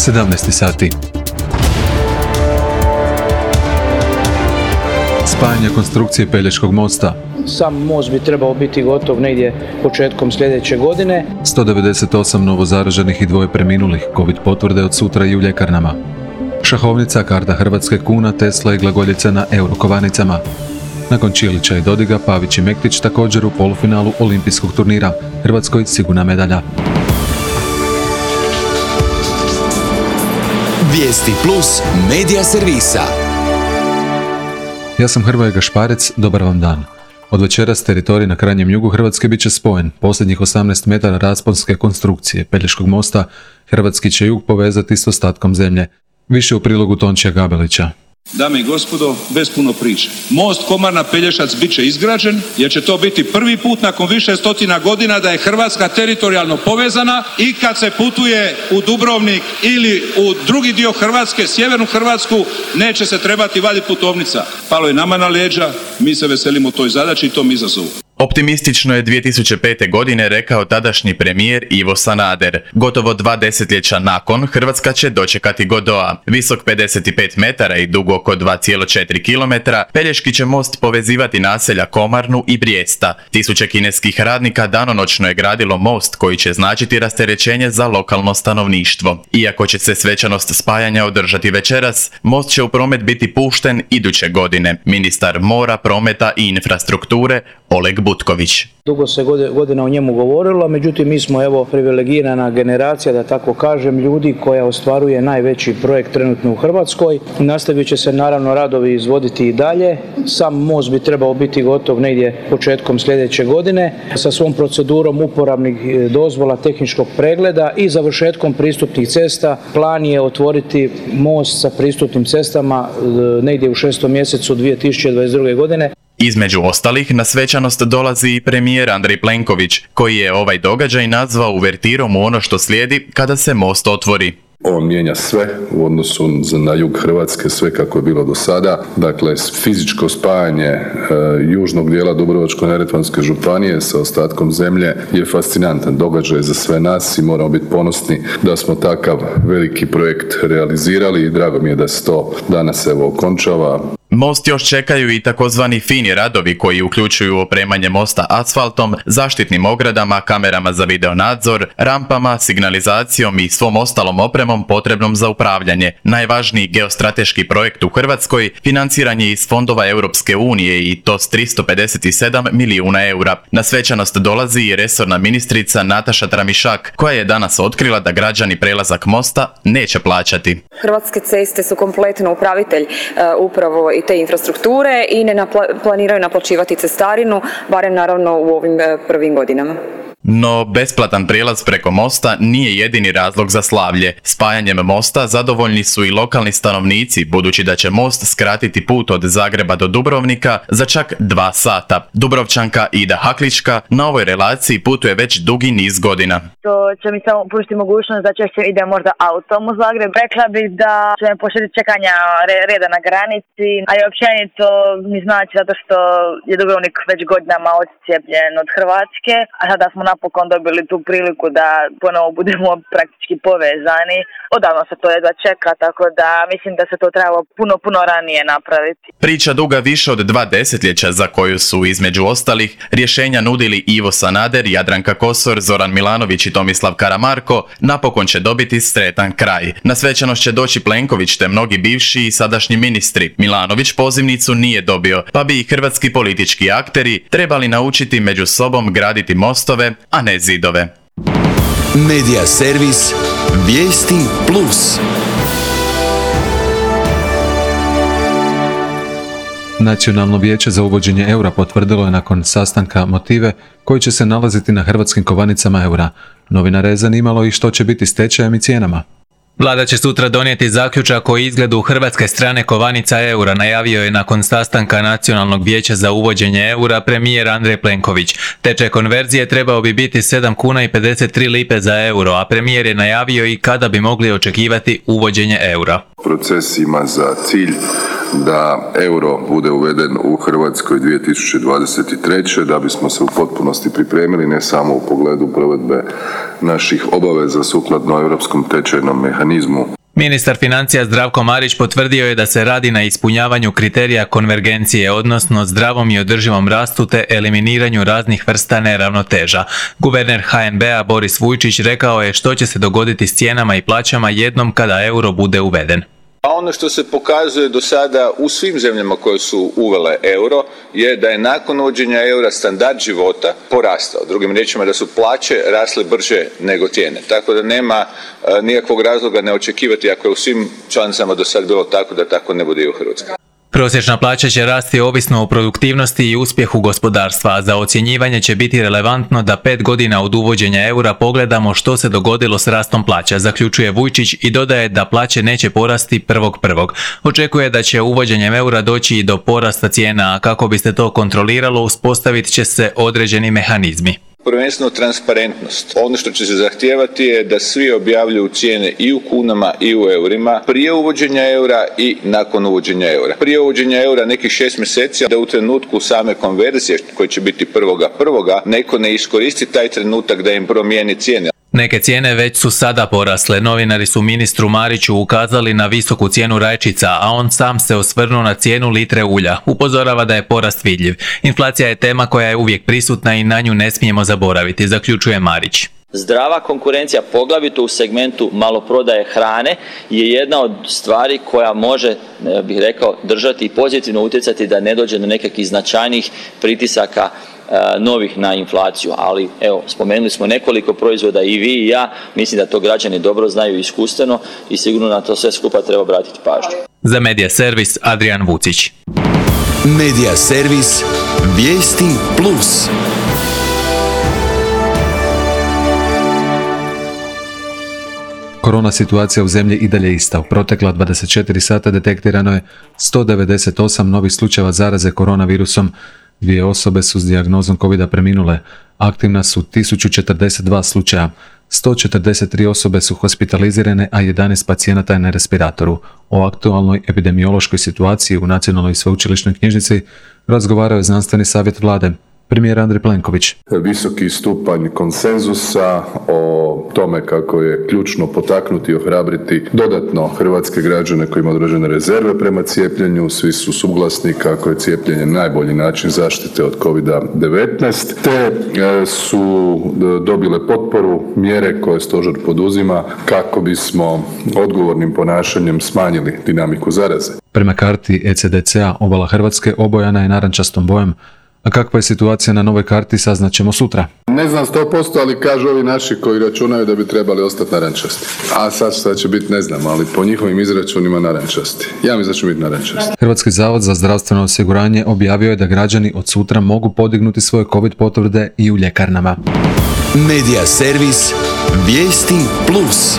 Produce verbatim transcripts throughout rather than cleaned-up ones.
sedamnaest sati. Spajanje konstrukcije Pelješkog mosta. Sam most bi trebao biti gotov negdje početkom sljedeće godine. sto devedeset osam novozaraženih i dvoje preminulih, covid potvrde od sutra i u ljekarnama. Šahovnica, karta Hrvatske, kuna, Tesla i glagoljica na Eurokovanicama. Nakon Čilića i Dodiga, Pavić i Mektić također u polufinalu olimpijskog turnira. Hrvatskoj sigurna medalja. Vijesti plus medija servisa. Ja sam Hrvoje Gašparec, dobar vam dan. Od večeras teritorij na krajnjem jugu Hrvatske bit će spojen. Posljednjih osamnaest metara rasponske konstrukcije Pelješkog mosta hrvatski će jug povezati s ostatkom zemlje. Više u prilogu Tončija Gabelića. Dame i gospodo, bez puno priče. Most Komarna-Pelješac bit će izgrađen jer će to biti prvi put nakon više stotina godina da je Hrvatska teritorijalno povezana i kad se putuje u Dubrovnik ili u drugi dio Hrvatske, sjevernu Hrvatsku, neće se trebati vaditi putovnica. Palo je nama na leđa, mi se veselimo toj zadaći i tom izazovu. Optimistično je dvije tisuće pete. godine rekao tadašnji premijer Ivo Sanader. Gotovo dva desetljeća nakon, Hrvatska će dočekati Godoa. Visok pedeset pet metara i dug oko dva zarez četiri kilometra, Pelješki će most povezivati naselja Komarnu i Brijesta. Tisuće kineskih radnika danonoćno je gradilo most koji će značiti rasterećenje za lokalno stanovništvo. Iako će se svečanost spajanja održati večeras, most će u promet biti pušten iduće godine. Ministar mora, prometa i infrastrukture Oleg Butković. Dugo se godina o njemu govorilo, međutim mi smo evo privilegirana generacija, da tako kažem, ljudi koja ostvaruje najveći projekt trenutno u Hrvatskoj. Nastavit će se naravno radovi izvoditi i dalje. Sam most bi trebao biti gotov negdje početkom sljedeće godine sa svom procedurom uporabnih dozvola, tehničkog pregleda i završetkom pristupnih cesta. Plan je otvoriti most sa pristupnim cestama negdje u šestom mjesecu dvije tisuće dvadeset druge. godine. Između ostalih, na svečanost dolazi i premijer Andrej Plenković, koji je ovaj događaj nazvao uvertirom u ono što slijedi kada se most otvori. On mijenja sve u odnosu na jug Hrvatske, sve kako je bilo do sada. Dakle, fizičko spajanje e, južnog dijela Dubrovačko-neretvanske županije sa ostatkom zemlje je fascinantan događaj za sve nas i moramo biti ponosni da smo takav veliki projekt realizirali i drago mi je da se to danas evo okončava. Most još čekaju i takozvani fini radovi koji uključuju opremanje mosta asfaltom, zaštitnim ogradama, kamerama za videonadzor, rampama, signalizacijom i svom ostalom opremom potrebnom za upravljanje. Najvažniji geostrateški projekt u Hrvatskoj financiran je iz fondova Europske unije i to s tristo pedeset sedam milijuna eura. Na svečanost dolazi i resorna ministrica Nataša Tramišak, koja je danas otkrila da građani prelazak mosta neće plaćati. Hrvatske ceste su kompletno upravitelj uh, upravo i te infrastrukture i ne napla- planiraju naplaćivati cestarinu, barem naravno u ovim prvim godinama. No, besplatan prijelaz preko mosta nije jedini razlog za slavlje. Spajanjem mosta zadovoljni su i lokalni stanovnici, budući da će most skratiti put od Zagreba do Dubrovnika za čak dva sata. Dubrovčanka Ida Haklička na ovoj relaciji putuje već dugi niz godina. To će mi samo pružiti mogućnost da češće idem možda autom u Zagreb. Rekla bih da će me poštediti čekanja reda na granici, a i općenito mi znači zato što je Dubrovnik već godinama odcijepljen od Hrvatske, a sada smo napokon dobili tu priliku da ponovo budemo praktički povezani. Odavno se to jedva čeka, tako da mislim da se to trebalo puno, puno ranije napraviti. Priča duga više od dva desetljeća za koju su između ostalih rješenja nudili Ivo Sanader, Jadranka Kosor, Zoran Milanović i Tomislav Karamarko, napokon će dobiti sretan kraj. Na svečanost će doći Plenković te mnogi bivši i sadašnji ministri. Milanović pozivnicu nije dobio, pa bi i hrvatski politički akteri trebali naučiti među sobom graditi mostove, a ne zidove. Medija servis Vijesti plus. Nacionalno vijeće za uvođenje eura potvrdilo je nakon sastanka motive koji će se nalaziti na hrvatskim kovanicama eura. Novinare je zanimalo i što će biti s tečajem i cijenama. Vlada će sutra donijeti zaključak o izgledu hrvatske strane kovanica eura, najavio je nakon sastanka Nacionalnog vijeća za uvođenje eura premijer Andrej Plenković. Tečaj konverzije trebao bi biti sedam kuna i pedeset tri lipe za euro, a premijer je najavio i kada bi mogli očekivati uvođenje eura. Proces ima za cilj da euro bude uveden u Hrvatskoj dvije tisuće dvadeset treće. da bismo se u potpunosti pripremili ne samo u pogledu provedbe naših obaveza sukladno europskom tečajnom mehanizmu. Ministar financija Zdravko Marić potvrdio je da se radi na ispunjavanju kriterija konvergencije, odnosno zdravom i održivom rastu te eliminiranju raznih vrsta neravnoteža. Guverner ha en be a Boris Vujčić rekao je što će se dogoditi s cijenama i plaćama jednom kada euro bude uveden. A ono što se pokazuje do sada u svim zemljama koje su uvele euro je da je nakon uvođenja eura standard života porastao. Drugim riječima da su plaće rasle brže nego cijene. Tako da nema uh, nikakvog razloga ne očekivati ako je u svim članicama do sad bilo tako da tako ne bude i u Hrvatskoj. Prosječna plaća će rasti ovisno o produktivnosti i uspjehu gospodarstva, a za ocjenjivanje će biti relevantno da pet godina od uvođenja eura pogledamo što se dogodilo s rastom plaća, zaključuje Vujčić i dodaje da plaće neće porasti prvog prvog. Očekuje da će uvođenjem eura doći i do porasta cijena, a kako bi se to kontroliralo uspostavit će se određeni mehanizmi. Prvenstveno transparentnost. Ono što će se zahtijevati je da svi objavljuju cijene i u kunama i u eurima prije uvođenja eura i nakon uvođenja eura. Prije uvođenja eura nekih šest mjeseci, da u trenutku same konverzije koje će biti prvoga prvoga neko ne iskoristi taj trenutak da im promijeni cijene. Neke cijene već su sada porasle. Novinari su ministru Mariću ukazali na visoku cijenu rajčica, a on sam se osvrnuo na cijenu litre ulja. Upozorava da je porast vidljiv. Inflacija je tema koja je uvijek prisutna i na nju ne smijemo zaboraviti, zaključuje Marić. Zdrava konkurencija, poglavito u segmentu maloprodaje hrane, je jedna od stvari koja može, bih rekao, držati i pozitivno utjecati da ne dođe do nekakvih značajnih pritisaka novih na inflaciju, ali evo, spomenuli smo nekoliko proizvoda i vi i ja, mislim da to građani dobro znaju iskustveno i sigurno na to sve skupa treba obratiti pažnju. Za Medija Servis, Adrian Vucić. Medija Servis, vijesti plus. Korona situacija u zemlji i dalje ista. U protekla dvadeset četiri sata detektirano je sto devedeset osam novih slučajeva zaraze koronavirusom. Dvije osobe su s dijagnozom covida preminule. Aktivna su tisuću četrdeset dva slučaja. sto četrdeset tri osobe su hospitalizirane, a jedanaest pacijenata je na respiratoru. O aktualnoj epidemiološkoj situaciji u Nacionalnoj sveučilišnoj knjižnici razgovarao je znanstveni savjet vlade. Premijer Andrej Plenković. Visoki stupanj konsenzusa o tome kako je ključno potaknuti i ohrabriti dodatno hrvatske građane koji imaju određene rezerve prema cijepljenju. Svi su suglasni kako je cijepljenje najbolji način zaštite od kovida devetnaest, te su dobile potporu mjere koje stožer poduzima kako bismo odgovornim ponašanjem smanjili dinamiku zaraze. Prema karti e ce de ce-a obala Hrvatske obojana je narančastom bojem. A kakva je situacija na novoj karti saznaćemo sutra. Ne znam sto posto, ali kažu ovi naši koji računaju da bi trebali ostati narančasti. A sad šta će biti ne znam, ali po njihovim izračunima narančasti. Ja mislim da će biti narančasti. Hrvatski zavod za zdravstveno osiguranje objavio je da građani od sutra mogu podignuti svoje covid potvrde i u ljekarnama. Medija Servis, vijesti plus.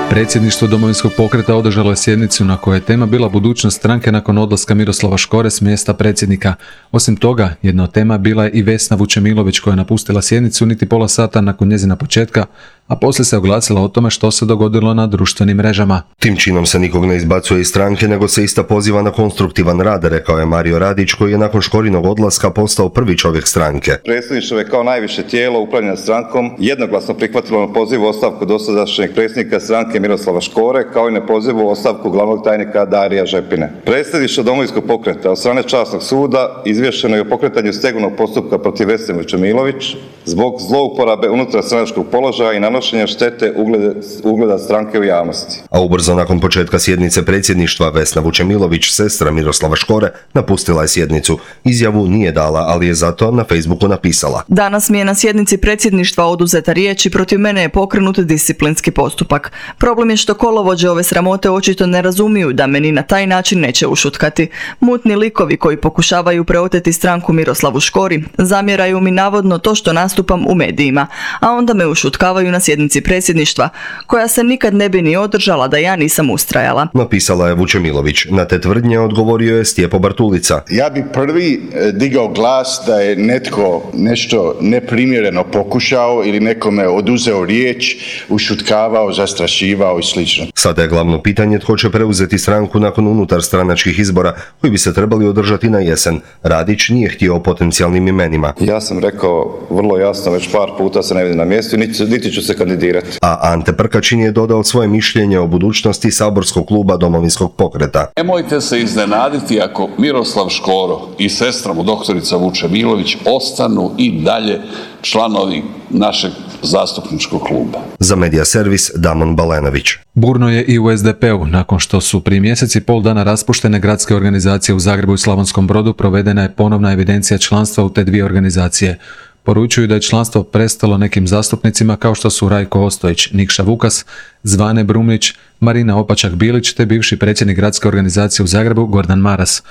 Predsjedništvo Domovinskog pokreta održalo je sjednicu na kojoj je tema bila budućnost stranke nakon odlaska Miroslava Škore s mjesta predsjednika. Osim toga, jedna od tema bila je i Vesna Vučemilović koja je napustila sjednicu niti pola sata nakon njezina početka, a poslije se oglasila o tome što se dogodilo na društvenim mrežama. Tim činom se nikog ne izbacuje iz stranke, nego se ista poziva na konstruktivan rad, rekao je Mario Radić, koji je nakon Škorinog odlaska postao prvi čovjek stranke. Predsjedništvo je kao najviše tijelo upravljanja strankom jednoglasno prihvatilo na poziv ostavku dosadašnjeg predsjednika stranke Miroslava Škore, kao i na pozivu ostavku glavnog tajnika Darija Žepine. Predsjedništvo Domovinskog pokreta od strane časnog suda izvješćeno je o pokretanju stegovnog postupka protiv Vesne Vučemilović zbog zlouporabe unutarstranačkog položaja i nanošenja štete ugleda, ugleda stranke u javnosti. A ubrzo nakon početka sjednice predsjedništva Vesna Vučemilović, sestra Miroslava Škore, napustila je sjednicu. Izjavu nije dala, ali je zato na Facebooku napisala: Danas mi je na sjednici predsjedništva oduzeta riječ i protiv mene je pokrenut disciplinski postupak. Problem je što kolovođe ove sramote očito ne razumiju da meni na taj način neće ušutkati. Mutni likovi koji pokušavaju preoteti stranku Miroslavu Škori zamjeraju mi navodno to što nas nastupam u medijima, a onda me ušutkavaju na sjednici predsjedništva, koja se nikad ne bi ni održala da ja nisam ustrajala. Napisala je Vučemilović. Na te tvrdnje odgovorio je Stjepo Bartulica. Ja bi prvi digao glas da je netko nešto neprimjereno pokušao ili nekome oduzeo riječ, ušutkavao, zastrašivao i slično. Sada je glavno pitanje tko će preuzeti stranku nakon unutar stranačkih izbora koji bi se trebali održati na jesen. Radić nije htio o potencijalnim imenima. Ja sam rekao vrlo jasno, već par puta se ne vidim na mjestu i niti, niti ću se kandidirati. A Ante Prkačin je dodao svoje mišljenje o budućnosti saborskog kluba Domovinskog pokreta. Nemojte se iznenaditi ako Miroslav Škoro i sestra mu doktorica Vučemilović ostanu i dalje članovi našeg zastupničkog kluba. Za Medija servis Damon Balenović. Burno je i u es de pe u. Nakon što su prije mjesec i pol dana raspuštene gradske organizacije u Zagrebu i Slavonskom Brodu, provedena je ponovna evidencija članstva u te dvije organizacije. Poručuju da je članstvo prestalo nekim zastupnicima kao što su Rajko Ostojić, Nikša Vukas, Zvane Brumlić, Marina Opačak-Bilić te bivši predsjednik gradske organizacije u Zagrebu Gordan Maras.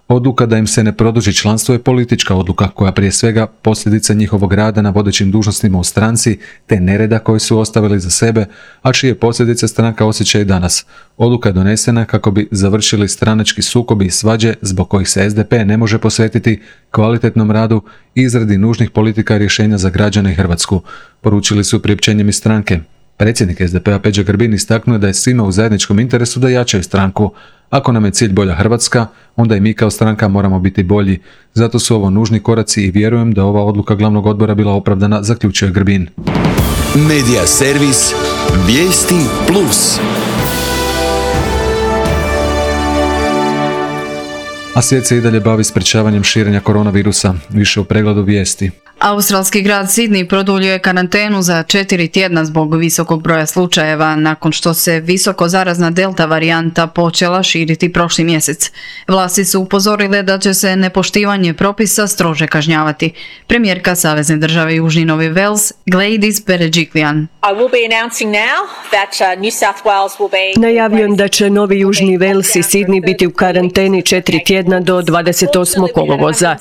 Odluka da im se ne produži članstvo je politička odluka koja prije svega posljedica njihovog rada na vodećim dužnostima u stranci te nereda koji su ostavili za sebe, a čije posljedice stranka osjeća i danas. Odluka je donesena kako bi završili stranački sukobi i svađe zbog kojih se es de pe ne može posvetiti kvalitetnom radu i izradi nužnih politika i rješenja za građane i Hrvatsku, poručili su priopćenjem iz stranke. Predsjednik es de pe a Peđa Grbin istaknuo da je svima u zajedničkom interesu da jačaju stranku. Ako nam je cilj bolja Hrvatska, onda i mi kao stranka moramo biti bolji. Zato su ovo nužni koraci i vjerujem da ova odluka glavnog odbora bila opravdana, zaključuje Grbin. Medija servis Vijesti Plus. A svijet se i dalje bavi sprečavanjem širenja koronavirusa. Više u pregledu vijesti. Australski grad Sidney produljio je karantenu za četiri tjedna zbog visokog broja slučajeva nakon što se visoko zarazna delta varijanta počela širiti prošli mjesec. Vlasti su upozorile da će se nepoštivanje propisa strože kažnjavati. Premijerka Savezne države Južni Novi Wales Gladys Berejiklian. Najavljujem da će Novi Južni Wales i Sidney biti u karanteni četiri tjedna do dvadeset osmog kolovoza.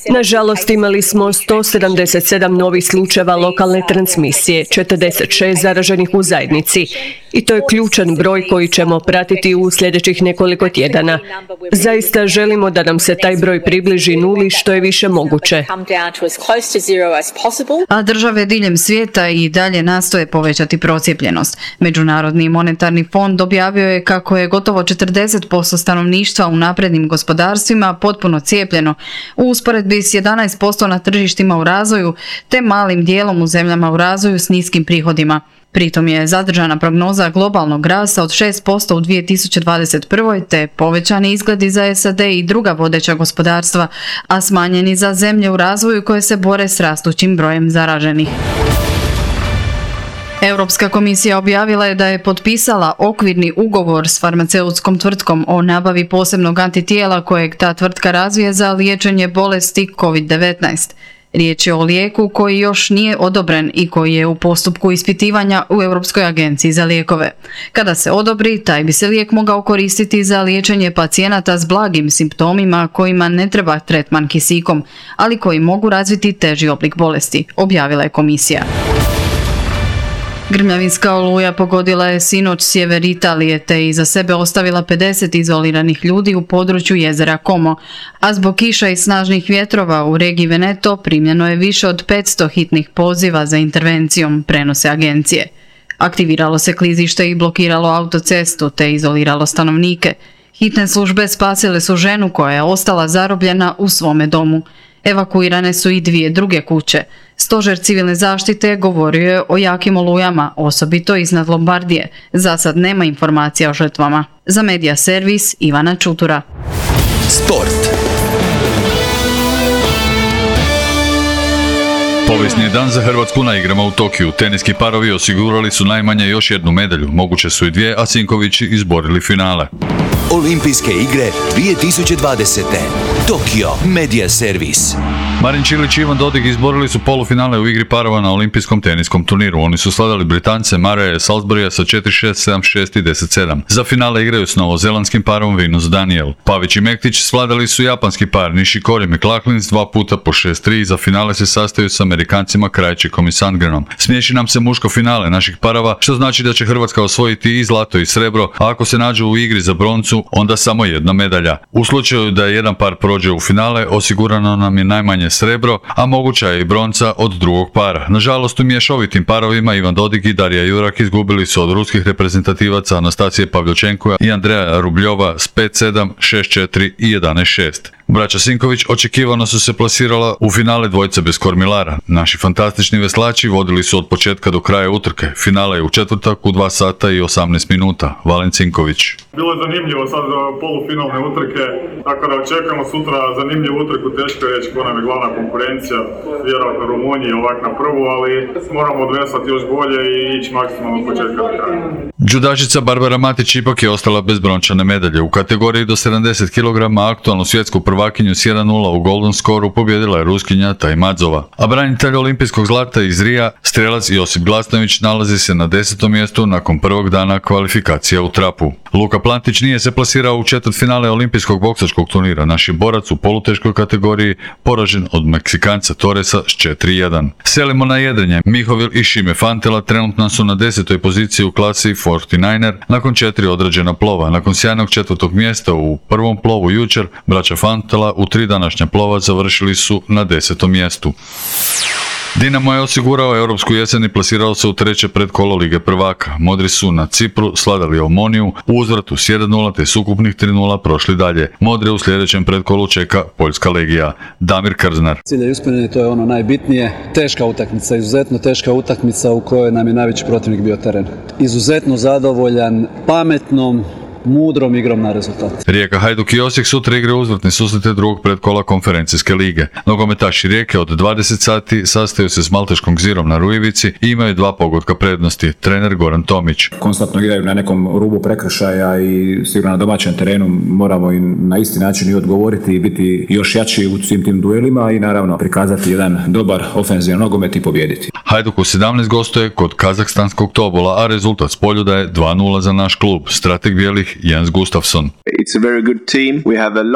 Nažalost, imali smo sto sedamdeset sedam novih slučajeva lokalne transmisije, četrdeset šest zaraženih u zajednici. I to je ključan broj koji ćemo pratiti u sljedećih nekoliko tjedana. Zaista želimo da nam se taj broj približi nuli što je više moguće. A države diljem svijeta i dalje nastoje povećati procijepljenost. Međunarodni monetarni fond objavio je kako je gotovo četrdeset posto stanovništva u naprednim gospodarstvima potpuno cijepljeno, u usporedbi s jedanaest posto na tržištima u razvoju te malim dijelom u zemljama u razvoju s niskim prihodima. Pritom je zadržana prognoza globalnog rasta od šest posto u dvije tisuće dvadeset prvoj te povećani izgledi za es a de i druga vodeća gospodarstva, a smanjeni za zemlje u razvoju koje se bore s rastućim brojem zaraženih. Europska komisija objavila je da je potpisala okvirni ugovor s farmaceutskom tvrtkom o nabavi posebnog antitijela kojeg ta tvrtka razvije za liječenje bolesti kovid devetnaest. Riječ je o lijeku koji još nije odobren i koji je u postupku ispitivanja u Europskoj agenciji za lijekove. Kada se odobri, taj bi se lijek mogao koristiti za liječenje pacijenata s blagim simptomima kojima ne treba tretman kisikom, ali koji mogu razviti teži oblik bolesti, objavila je komisija. Grmljavinska oluja pogodila je sinoć sjever Italije te iza sebe ostavila pedeset izoliranih ljudi u području jezera Como, a zbog kiša i snažnih vjetrova u regiji Veneto primljeno je više od petsto hitnih poziva za intervencijom, prenose agencije. Aktiviralo se klizište i blokiralo autocestu te izoliralo stanovnike. Hitne službe spasile su ženu koja je ostala zarobljena u svome domu. Evakuirane su i dvije druge kuće. Stožer civilne zaštite govorio je o jakim olujama, osobito iznad Lombardije. Za sad nema informacija o žrtvama. Za Medija servis Ivana Čutura. Sport. Povijesni je dan za Hrvatsku na igrama u Tokiju. Teniski parovi osigurali su najmanje još jednu medalju, moguće su i dvije, a Sinkovići izborili finale. Olimpijske igre dvije tisuće dvadesete. Tokio Media Servis. Marin Čilić i Ivan Dodig izborili su polufinale u igri parova na olimpijskom teniskom turniru. Oni su slavili Britance Murraya Salisburya sa četiri šest, sedam šest i deset sedam. Za finale igraju s novozelandskim parom Venus Daniel. Pavić i Mektić svladali su japanski par Nishikori McLaughlin s dva puta po šest tri i za finale se sastaju s Amerikancima Krajčikom i Sandgrenom. Smiješi nam se muško finale naših parova, što znači da će Hrvatska osvojiti i zlato i srebro, a ako se nađu u igri za broncu, onda samo jedna medalja. U slučaju da jedan par prođe u finale, osigurano nam je najmanje srebro, a moguća je i bronca od drugog para. Nažalost, u mješovitim parovima Ivan Dodig i Darija Jurak izgubili su od ruskih reprezentativaca Anastasije Pavljočenko i Andreja Rubljova s pet sedam, šest četiri i jedanaest šest. Braća Sinković očekivano su se plasirala u finale dvojce bez kormilara. Naši fantastični veslači vodili su od početka do kraja utrke. Finale je u četvrtak u dva sata i osamnaest minuta. Valen Cinković. Bilo je zanimljivo sad za polufinalne utrke, tako da očekujemo sutra zanimljivu utrku, teško je reći ko nam je glavna konkurencija, vjerojatno Rumuniji ovak na prvu, ali moramo odveslati još bolje i ići maksimalno od početka do kraja. Džudašica Barbara Matić ipak je ostala bez brončane medalje. U kategoriji do sedamdeset kilograma aktualnu svjetsku prvakinju s jedan nula u Golden Scoreu pobjedila je Ruskinja Tajmadzova. A branitelj olimpijskog zlata iz Rija, strelac Josip Glasnović, nalazi se na desetom mjestu nakon prvog dana kvalifikacija u trapu. Luka Plantić nije se plasirao u četvrtfinale olimpijskog boksačkog turnira. Naš je borac u poluteškoj kategoriji poražen od Meksikanca Torresa s četiri jedan. Selimo na jedrenje. Mihovil i Šime Fantela trenutno su na desetoj poziciji u klasi četrdeset devet nakon četiri odrađena plova. Nakon sjajnog četvrtog mjesta u prvom plovu jučer, braća Fantela u tri današnja plova završili su na desetom mjestu. Dinamo je osigurao europsku jesen i plasirao se u treće predkolo Lige prvaka. Modri su na Cipru sladali Omoniju u uzvratu s jedan nula te s ukupnih tri nula prošli dalje. Modre u sljedećem predkolu čeka Poljska legija. Damir Krznar. Cilj je ispunjen, to je ono najbitnije. Teška utakmica, izuzetno teška utakmica u kojoj nam je najveći protivnik bio teren. Izuzetno zadovoljan, pametnom, mudrom igrom na rezultat. Rijeka, Hajduk i Osijek sutra igre uzvratne susrete drugog predkola konferencijske lige. Nogometaši Rijeke od dvadeset sati sastaju se s Malteškom Zirom na Rujevici i imaju dva pogotka prednosti. Trener Goran Tomić. Konstantno igraju na nekom rubu prekršaja i sigurno na domaćem terenu moramo i na isti način i odgovoriti i biti još jači u svim tim duelima i naravno prikazati jedan dobar ofenzivan nogomet i pobijediti. Hajduk u sedamnaest gostuje kod kazahstanskog Tobola, a rezultat s Poljuda je dva nula za naš klub. Strateg bijelih Jens Gustafsson.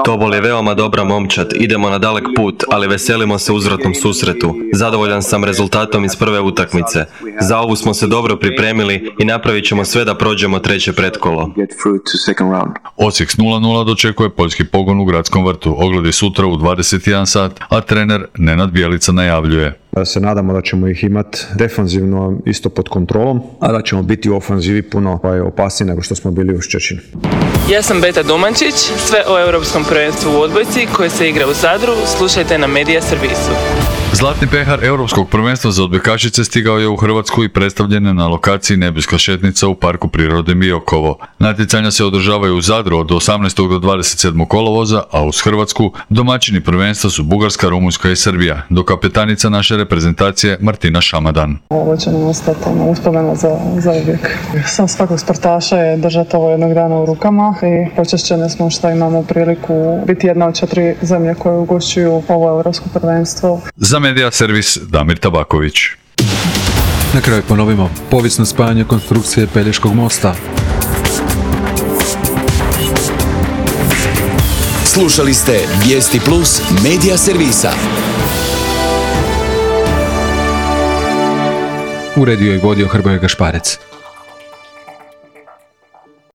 Tobol je veoma dobra momčad, idemo na dalek put, ali veselimo se uzvratnom susretu. Zadovoljan sam rezultatom iz prve utakmice. Za ovu smo se dobro pripremili i napravit ćemo sve da prođemo treće pretkolo. Osijek s nula nula dočekuje poljski pogon u Gradskom vrtu. Ogledi sutra u dvadeset jedan sat, a trener Nenad Bjelica najavljuje. Se nadamo da ćemo ih imati defanzivno isto pod kontrolom, a da ćemo biti u ofanzivi puno opasniji nego što smo bili u Ščečinu. Ja sam Beta Domančić, sve o Europskom prvenstvu u odbojci koje se igra u Zadru, slušajte na Media Servisu. Zlatni pehar Europskog prvenstva za odbojkašice stigao je u Hrvatsku i predstavljen je na lokaciji Nebeska šetnica u Parku prirode Biokovo. Natjecanja se održavaju u Zadru od osamnaestog do dvadeset sedmog kolovoza, a uz Hrvatsku domaćini prvenstva su Bugarska, Rumunjska i Srbija, dok kapetanica naše reprezentacije Martina Šamadan. Ovo će nam ostati uspomeno za, za uvijek. Sam svakog sportaša je držati ovo jednog dana u rukama i počašćeni smo što imamo priliku biti jedna od četiri zemlje koje ugošćuju ovo Europsko prvenstvo. Za Media Servis Damir Tabaković. Na kraju ponovimo povijesno spajanje konstrukcije Pelješkog mosta. Slušali ste Vijesti Plus Media Servisa. Uredio i vodio Hrvoje Gašparec.